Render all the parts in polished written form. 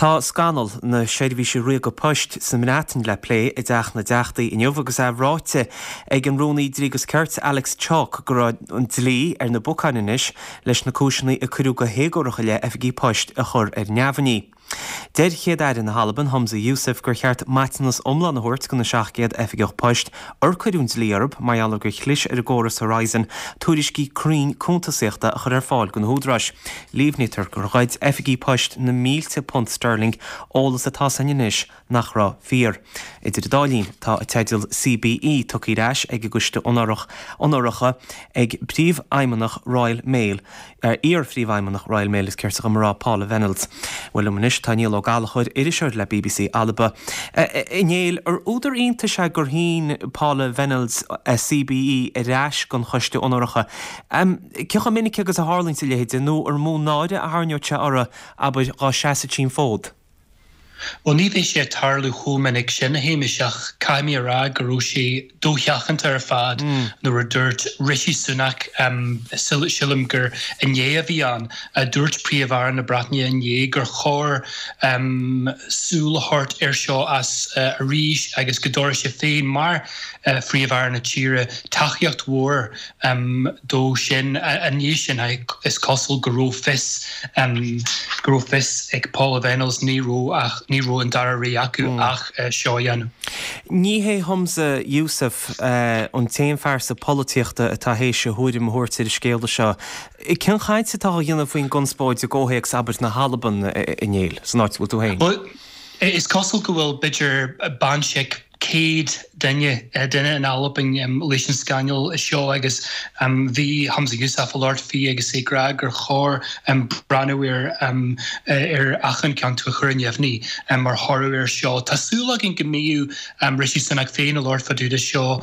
Tá scannal na Seirbhíse Ríoga Poist sa mBreatain le plé i dTeach na dTeachtaí inniu agus é ráite ag an Rúnaí Dlí agus Cirt Alex Chalk go raibh an dlí ar na bacáin anois leis na cúiseanna a cuireadh go héagórach i leith oifigí poist a chur ar neamhní. Deir Chéad-Aire na hAlban, Humza Yousaf, gur cheart maiteanas iomlán a thabhairt do na 700 oifigeach poist ar cuireadh an dlí orthu mar gheall ar gur chlis ar an gcóras Horizon tuairiscí cruinn cuntasaíochta a chur ar fáil do na húdaráis. Líomhnaítear gur ghoid oifigí poist na mílte punt sterling, eolas atá ann anois nach raibh fíor. Idir an dá linn, tá a teideal CBE tugtha ar ais ag an gCoiste Onóracha ag Príomhfheidhmeannach Royal Mail, iar-Phríomhfheidhmeannach Royal Mail is ceart dom a rá, Paula Vennells. Bhuel liom anois tá Niall Ó Gallchóir, iriseoir le bbc Alba. A Néill, ar údar iontais é gur shín Paula Vennells a CBE ar ais don Choiste Onóracha? Cé chomh minic agus a tharlaíonns a leithéid, nó ar mó náire a tharraingeodh sé orthu, abair, dhá seasfadh sí an fód? Bhuel, ní bheidh sé ag tarlú chomh minic sin, a Shéamais, ach caithfidh mé a rá go raibh sé dosheachanta ar fad nuair a dúirt Rishi Sunak, sílim gur inné a bhí ann, dúirt Príomh-Aire na Breataine inné gur chóir súil a thabhairt air seo as arís agus go dtabharfadh sé féin mar Phríomh-Aire na tíre tacaíocht mhór dó sin. I ndiaidh sin, is cosúil go raibh fios go raibh fios ag Paula Vennells ní raibh ach ní raibh an dara rogha acu ach seo a dhéanamh. Ní hé Humza Yousaf an t-aon phearsa polaitíochta atá théis a thuairim a thabhairt ar an scéala seo. Cén chaint atá á dhéanamh faoin gconspóid i gcomhthéacs, abair, na hAlban, a Néill, san áit a bhfuil tú féin? Bhuel, is cosúil go bhfuil b'fhéidir baint ag 100 duine, duine in Albain leis an scannal seo agus bhí Humza Yousaf ag labhairt faoi agus é ag rá gur chóir breathnú ar ar achan cheann a chur ar neamhní mar thoradh air seo. Tá súil againn go mbeidh Rishi Sunak féin ag labhairt fá dtaobh de seo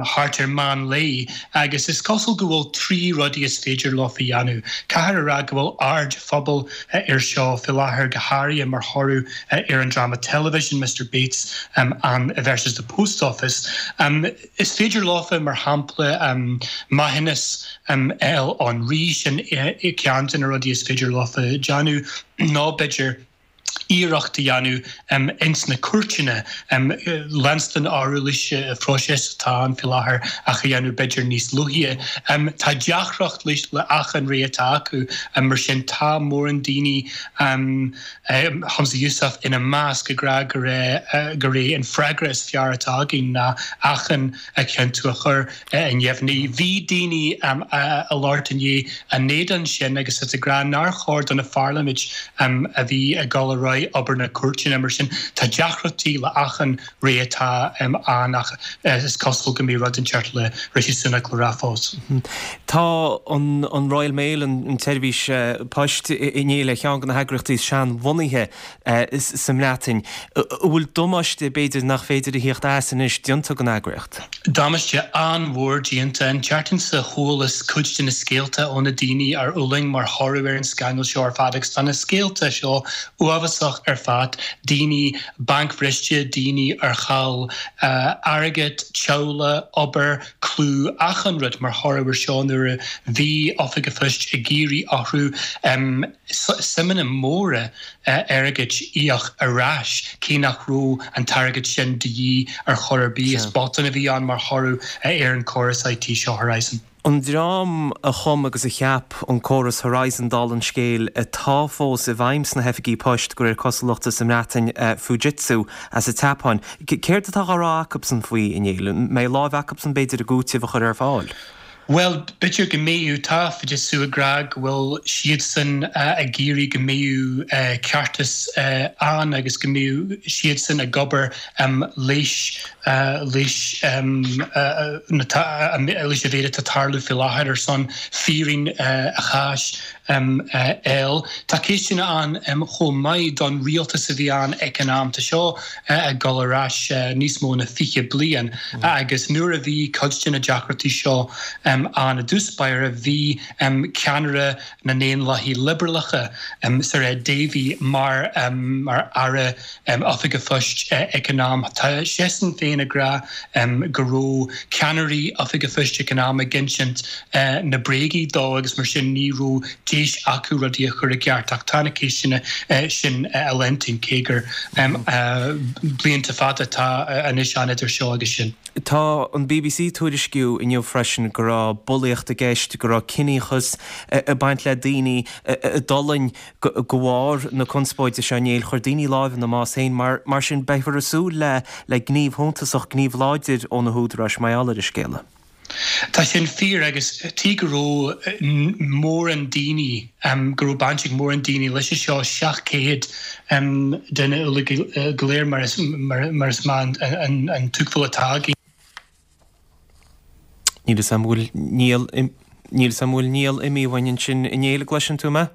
thart ar meán lae agus is cosúil go bhfuil 3 rudaí is féidir leo a dhéanamh. Caithfear a rá go bhfuil aird phobail air seo faoi láthair go háirithe mar thoradh ar an dráma teilifíse Mister Bates and versus the Post Office. Is féidir leofa, mar shampla, maithiúnas a fháil ón Rí, sin ceann de na rudaí is féidir leofa déanamh, nó b'fhéidir iarracht a dhéanamh ins na cúirteanna leanstan ar aghaidh leis an phróiseas atá ann faoi láthair ach a dhéanamh b'fhéidir níos luaithe. Tá deacracht leis le achan rogha atá acu, mar sin tá mórán daoine Humza Yousaf ina measc, ag rá gur é an freagra is fearr atá againn ná achan chiontú a chur ar neamhní. Bhí daoine ag labhairt inné in éadan sin agus iad ag rá nár chóir do na pharlaimint a bhí ag dul ar aghaidh obair na cúirteanna. Mar sin tá deacrachtaí le achan rogha atá ann ach is cosúil go mbeidh rud inteacht le Rishi Sunak le rá fós. Tá an Royal Mail, an tseirbhís poist, a Néill ar cheann de na heagraíochtaí is seanbhunaithe sa mBreatain. An bhfuil damáiste, b'fhéidir, nach féidir a thíocht as anois déanta don eagraíocht? Damáiste an-mhór déanta. An tseachtain seo chualas cuid de na scéalta ó na daoine ar fhulaing mar thoradh ar an scannal seo ar fad agus tá na scéalta seo uafásach ar fad, daoine bancbhriste, daoine ar chaill airgead, teaghlaigh, obair, clú, achan rud mar thoradh ar seo nuair a bhí Oifig an Phoist ag iarraidh orthu suimeanna móra airgid a íoc ar ais cé nach raibh an t-airgead sin de dhíth ar chor ar bith. Is botún a bhí ann mar thoradh ar an córas IT seo Horizon. An dream a chum agus a cheap an córas Horizon, dála an scéil, atá fós i bhfeidhm sna hoifigí poist, de réir cosúlachta, sa mBreatain, Fujitsu as an tSeapáin. Céard atá á rá acubsan faoi, a Néill? An mbeidh láimh acubsan, b'fhéidir, i gcúiteamh a chur ar fáil? Bhuel, b'fhéidir go mbeidh. Tá Fujitsu ag rá go bhfuil siadsan ag iarraidh go mbeidh ceartas ann agus go mbeidh siadsan ag obair leis leis an mhéid atá ag tarlú faoi láthair ar son fírinne an cháis a fháil. Tá ceisteanna ann chomh maith don rialtas a bhí ann ag an am. Tá seo ag dul ar ais níos mó ná 20 bliain agus nuair a bhí cuid de na deacrachtaí seo ann i dtús báire bhí ceannaire na nDaonlathaithe Liobralacha, Sir Ed Davey, mar Aire Oifig an Phoist ag an am. Tá seisean féin ag rá go raibh ceannairí Oifig an Phoist ag an am ag insint na bréagaí dó agus mar sin ní raibh. deis acu rudaí a chur i gceart ach tá na ceisteanna sin á leantaint cé gur blianta fada atá anois ann idir seo agus sin. Tá an bbc ag tuairisciú inniu freisin go raibh bulaíocht i gceist, go raibh ciníochas ag baint le daoine a d'fhulaing de bharr na conspóide seo inné. Chuir daoine láimh ina mbás féin. Mar sin, beifear ag súil le gníomh shuntasach, gníomh láidir ó na húdaráis mar gheall ar an scéala. Tá sin fíor agus tuig go raibh mórán daoine, go raibh baint ag mórán daoine leis seo, 700 duine uilig go léir mar is maith an tuigbheáil atá againn. Níl 'fhios a'm bhfuil Niall, níl 'fhios a'm bhfuil Niall imithe uainn ansin a Néill, an gcloiseann tú mé?